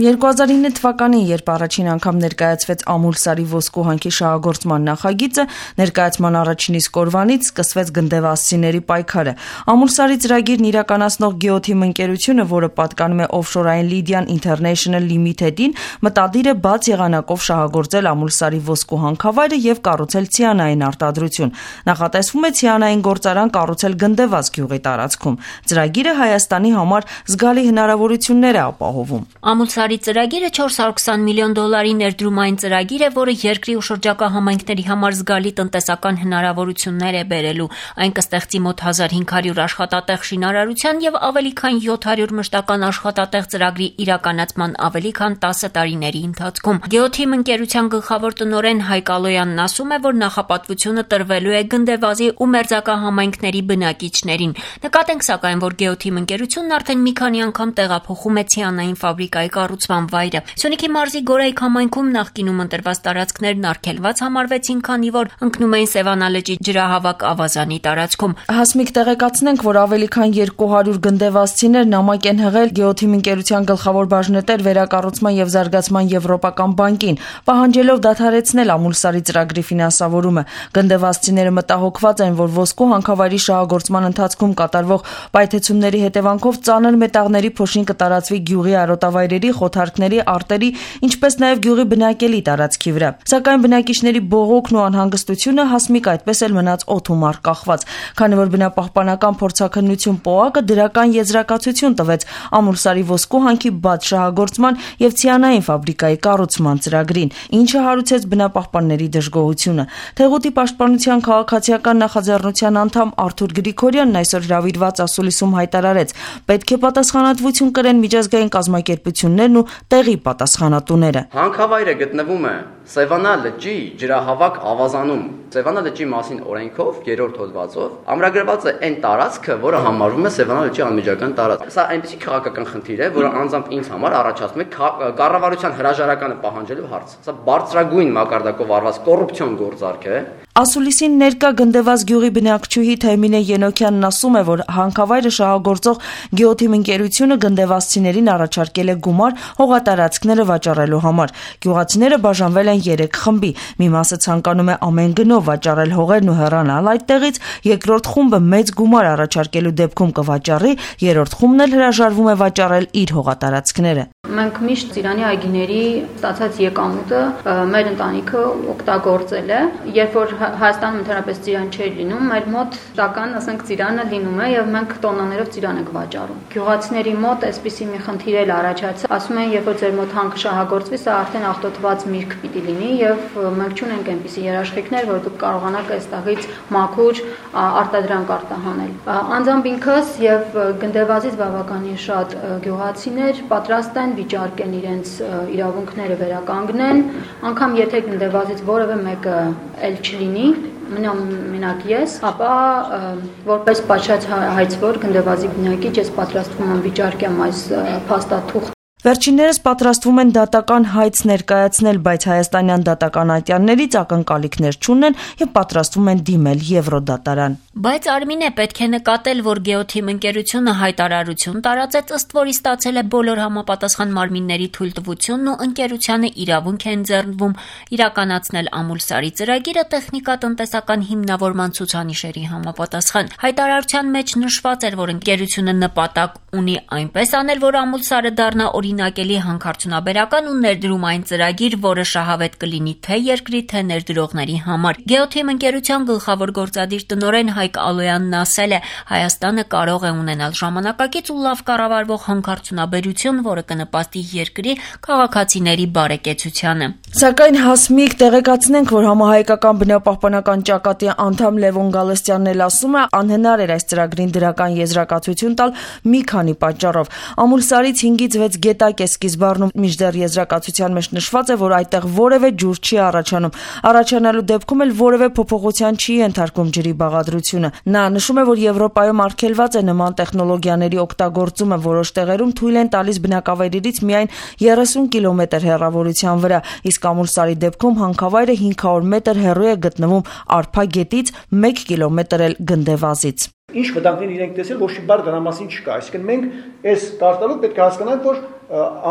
2009 թվականին, երբ առաջին անգամ ներկայացվեց Ամուլսարի ոսկու հանքի շահագործման նախագիծը, ներկայացման առաջին իսկ օրվանից սկսվեց գնդեվազցիների պայքարը։ Ամուլսարի ծրագիրն իրականացնող Geoteam ընկերությունը, որը պատկանում է Offshore-ային Lydian International Limited-ին, մտադիր է բաց եղանակով շահագործել Ամուլսարի ոսկու հանքավայրը եւ կառուցել ցիանային արտադրություն։ Նախատեսվում է ցիանային գործարան կառուցել Գնդեվազ գյուղի տարածքում։ Ծրագիրը Հայաստանի համար զգալի հնարավորություններ է ապահովում։ Ամուլսարի ծրագիրը $420 միլիոն ներդրումային ծրագիր է, որը երկրի ու շրջակա համայնքների համար զգալի տնտեսական հնարավորություններ է բերելու։ Այն կստեղծի մոտ 1500 աշխատատեղ շինարարության եւ ավելի քան 700 մշտական աշխատատեղ ծրագրի իրականացման ավելի քան 10 տարիների ընթացքում։ Geoteam ընկերության գլխավոր տնօրեն Հայկ Ալոյանն ասում է, որ նախապատվությունը տրվելու է Գնդեվազի ու մերձակա համայնքների բնակիչներին։ Նկատենք սակայն, որ Geoteam ընկերությունն արդեն մի քանի անգամ տեղափոխում է ցիանային ֆաբրիկայի կառուցման վայրը։ Սյունիքի մարզի Գորայք համայնքում նախկինում ընտրված տարածքներն արգելված համարվեցին, քանի որ ընկնում էին Սևանա լճի ջրահավաք ավազանի տարածքում։ Հասմիկ, տեղեկացնենք, որ ավելի քան 200 գնդեվազցիներ նամակ են հղել Geoteam ընկերության գլխավոր բաժնետեր վերակառուցման եւ զարգացման եվրոպական բանկին, պահանջելով դադարեցնել Ամուլսարի ծրագրի ֆինանսավորումը։ Գնդեվազցիները մտահոգված են, որ ոսկու հանքավայրի շահագործման ընթացքում կատարվող պայթեցումների հետևանքով ծանր մետաղների փոշին կտարածվի գյուղի արոտավայրերի, խոթարքների, արտերի, ինչպես նաև գյուղի բնակելի տարածքի վրա։ Սակայն բնակիչների բողոքն ու անհանգստությունը Հասմիկ այդպես էլ մնաց օդում առկախված, քանի որ բնապահպանական փորձաքննություն ՊՕԱԿ-ը դրական եզրակացություն տվեց Ամուլսարի ոսկու հանքի բաց շահագործման եւ ցիանային ֆաբրիկայի կառուցման ծրագրին, ինչը հարուցեց բնապահպանների դժգոհությունը։ Թեղուտի պաշտպանության քաղաքացիական նախաձեռնության անդամ Արթուր Գրիգորյանն այսօր հրավիրված ասուլիսում հայտարարեց. պետք է պատասխանատվություն կրեն միջազգային կազմակերպություններն ու տեղի պատասխանատուները։ Հանքավայրը գտնվում է Սևանա լճի ջրահավաք ավազանում։ Սևանա լճի մասին օրենքով 3-րդ հոդվածով ամրագրված է այն տարածքը, որը համարվում է Սևանա լճի անմիջական տարածք։ Սա այնպիսի քաղաքական խնդիր է, որը անձամբ ինձ համար առաջացնում է կառավարության հրաժարականը պահանջելու հարց։ Սա բարձրագույն մակարդակով արված կոռուպցիոն գործարք է։ Ասուլիսին ներկա Գնդեվազ գյուղի բնակչուհի Թեմինե Ենոքյանն ասում է, որ հանքավայրը շահագործող Geoteam ընկերությունը գնդեվազցիներին առաջարկել է գումար հողատարածքները վաճառելու համար։ Գյուղացիները բաժանվել են 3 խմբի։ Մի մասը ցանկանում է ամեն գնով վաճառել հողերն ու հեռանալ այդտեղից, երկրորդ խումբը մեծ գումար առաջարկելու դեպքում կվաճառի, երրորդ խումբն էլ հրաժարվում է վաճառել իր հողատարածքները։ Մենք միշտ Ծիրանի այգիների ստացած եկամուտը մեր ընտանիքը օգտագործել է, երբ որ Հայաստանում ընդհանրապես ծիրան չէր լինում, մեր մոտ տական, ասենք, ծիրանը լինում է եւ մենք տոննաներով ծիրան ենք վաճառում։ Գյուղացիների մոտ այսպիսի մի խնդիր էլ առաջացավ, ասում են, երբ որ ձեր մոտ հանքը շահագործվի, սա արդեն աղտոտված միրգ պիտի լինի եւ մենք չունենք այնպիսի երաշխիքներ, որ դուք կարողանաք այստեղից մաքուր արտադրանք արտահանել։ Անձամբ ինքս եւ Գնդեվազից բավականին շատ գյուղացիներ պատրաստ են վիճարկեն իրենց իրավունքները վերականգնեն, անգամ եթե Գնդեվազից որևէ մեկը էլ չլինի, մենակ ես, ապա որպես պատշաճ հայցվոր Գնդեվազի բնակիչ ես պատրաստվում եմ վիճարկեմ այս փաստաթուղթը։ Վերջիններս պատրաստվում են դատական հայց ներկայացնել, բայց հայաստանյան դատական ատյաններից ակնկալիքներ չունեն եւ պատրաստվում են դիմել Եվրոդատարան։ Բայց Արմինե, պետք է նկատել, որ Geoteam ընկերությունը հայտարարություն տարածեց, ըստ որի ստացել է բոլոր համապատասխան մարմինների թույլտվությունն ու ընկերությանը իրավունք է ընձեռնվում իրականացնել Ամուլսարի ծրագիրը տեխնիկատնտեսական հիմնավորման ցուցանիշերի համապատասխան։ Հայտարարության մեջ նշված էր, որ ընկերությունը նպատակ ունի այնպես անել, որ Ամուլսարը դառնա օրինակելի հանքարդյունաբերական ու ներդրումային ծրագիր, որը շահավետ կլինի թե երկրի, թե ներդրողների համար։ Geoteam ընկերության գլխավոր գործադիր տնօրեն Հայկ Ալոյանն ասել է, Հայաստանը կարող է ունենալ ժամանակակից ու լավ կառավարվող հանքարդյունաբերություն, որը կնպաստի երկրի քաղաքացիների բարեկեցությանը։ Սակայն Հասմիկ, տեղեկացնենք, որ համահայկական բնապահպանական ճակատի անդամ Լևոն Գալստյանն էլ ասում է, անհնար էր այս ծրագրին դրական եզրակացություն տալ մի քանի պատճառով։ Ամուլսարից 5-ից 6 գետակ է սկիզբառնում, մինչդեռ եզրակացության մեջ նշված է, որ այդտեղ որևէ ջուր չի առաջանում։ Առաջանալու դեպքում էլ որևէ փոփոխության չի ենթարկվում ջրի բաղադրությունը։ Նա նշում է, որ Եվրոպայում արգելված է նման տեխնոլոգիաների օգտագործումը, որոշ տեղերում թույլ են տալիս բնակավայրերից միայն 30 կիլոմետր հեռավորության վրա, իսկ Ամուլսարի դեպքում հանքավայրը 500 մետր հեռու է գտնվում Արփա գետից, 1 կիլոմետր էլ Գնդեվազից։ Ինչ վտանգներ իրենք տեսել, ոչ մի բառ դրա մասին չկա։ Այսինքն մենք այս տարտալով պետք է հասկանանք, որ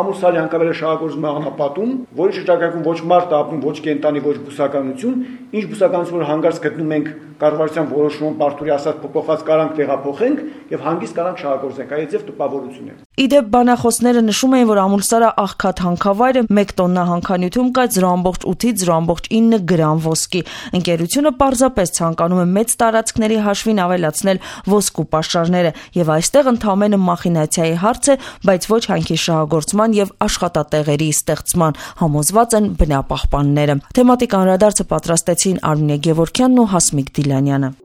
ամուսալի հանկարել է շահագործում աղնապատում, որի շրջակայքում ոչ մարդ ապրում, ոչ կենտանի, ոչ բուսականություն, ինչ բուսականություն որ հանգարց գտնում ենք կառավարության որոշումով բարդուրի ասած փոփոխած կարանք տեղափոխենք եւ հանգիստ կարանք շահագործենք, այդ ձև տպավորություն է։ Իդեպ բանախոսները նշում էին, որ Ամուլսարը աղքատ հանքավայրը 1 տոննա հանքանյութում կա 0.8-ից 0.9 գրամ ոսկի։ Ընկերությունը պարզապես ցանկանում է մեծ տարածքների հաշվին ավելացնել ոսկու պաշարները եւ այստեղ ընդամենը մախինացիայի հարց է, բայց ոչ հանքի շահագործման եւ աշխատատեղերի ստեղծման, համոզված են բնապահպանները։ Թեմատիկ անդրադարձը պատրաստեցին Արմինե Գևորգյանն ու Հասմիկ Դիլանյանը։